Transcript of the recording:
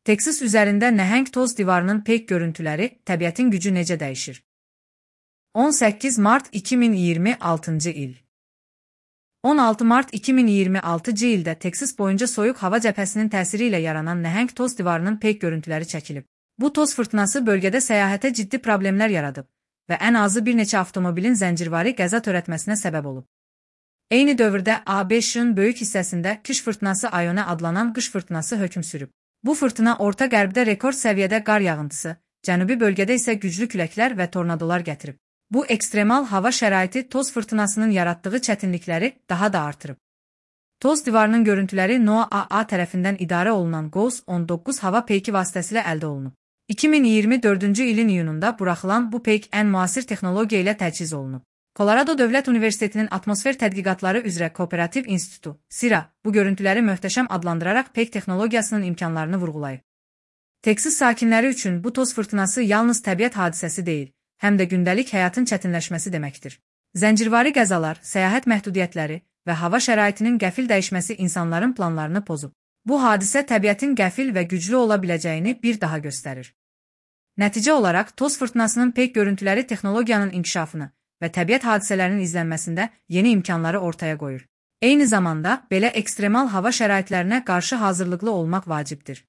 Texas üzərində nəhəng toz divarının peyk görüntüləri, təbiətin gücü necə dəyişir? 18 mart 2026-cı il 16 mart 2026-cı ildə Texas boyunca soyuq hava cəbhəsinin təsiri ilə yaranan nəhəng toz divarının peyk görüntüləri çəkilib. Bu toz fırtınası bölgədə səyahətə ciddi problemlər yaradıb və ən azı bir neçə avtomobilin zəncirvari qəza törətməsinə səbəb olub. Eyni dövrdə ABŞ-ın böyük hissəsində kış fırtınası Ione adlanan qış fırtınası hökm sürüb. Bu fırtına orta qərbdə rekord səviyyədə qar yağıntısı, cənubi bölgədə isə güclü küləklər və tornadolar gətirib. Bu ekstremal hava şəraiti toz fırtınasının yaratdığı çətinlikləri daha da artırıb. Toz divarının görüntüləri NOAA tərəfindən idarə olunan GOES 19 hava peyki vasitəsilə əldə olunub. 2024-cü ilin iyununda buraxılan bu peyk ən müasir texnologiya ilə təchiz olunub. Colorado Dövlət Universitetinin Atmosfer Tədqiqatları üzrə Kooperativ İnstitutu, CIRA, bu görüntüləri möhtəşəm adlandıraraq peyk texnologiyasının imkanlarını vurğulayıb. Texas sakinləri üçün bu toz fırtınası yalnız təbiət hadisəsi deyil, həm də gündəlik həyatın çətinləşməsi deməkdir. Zəncirvari qəzalar, səyahət məhdudiyyətləri və hava şəraitinin qəfil dəyişməsi insanların planlarını pozub. Bu hadisə təbiətin qəfil və güclü ola biləcəyini bir daha göstərir. Nəticə olaraq, toz fırtınasının peyk görüntüləri texnologiyanın inkişafını və təbiət hadisələrinin izlənməsində yeni imkanları ortaya qoyur. Eyni zamanda, belə ekstremal hava şəraitlərinə qarşı hazırlıqlı olmaq vacibdir.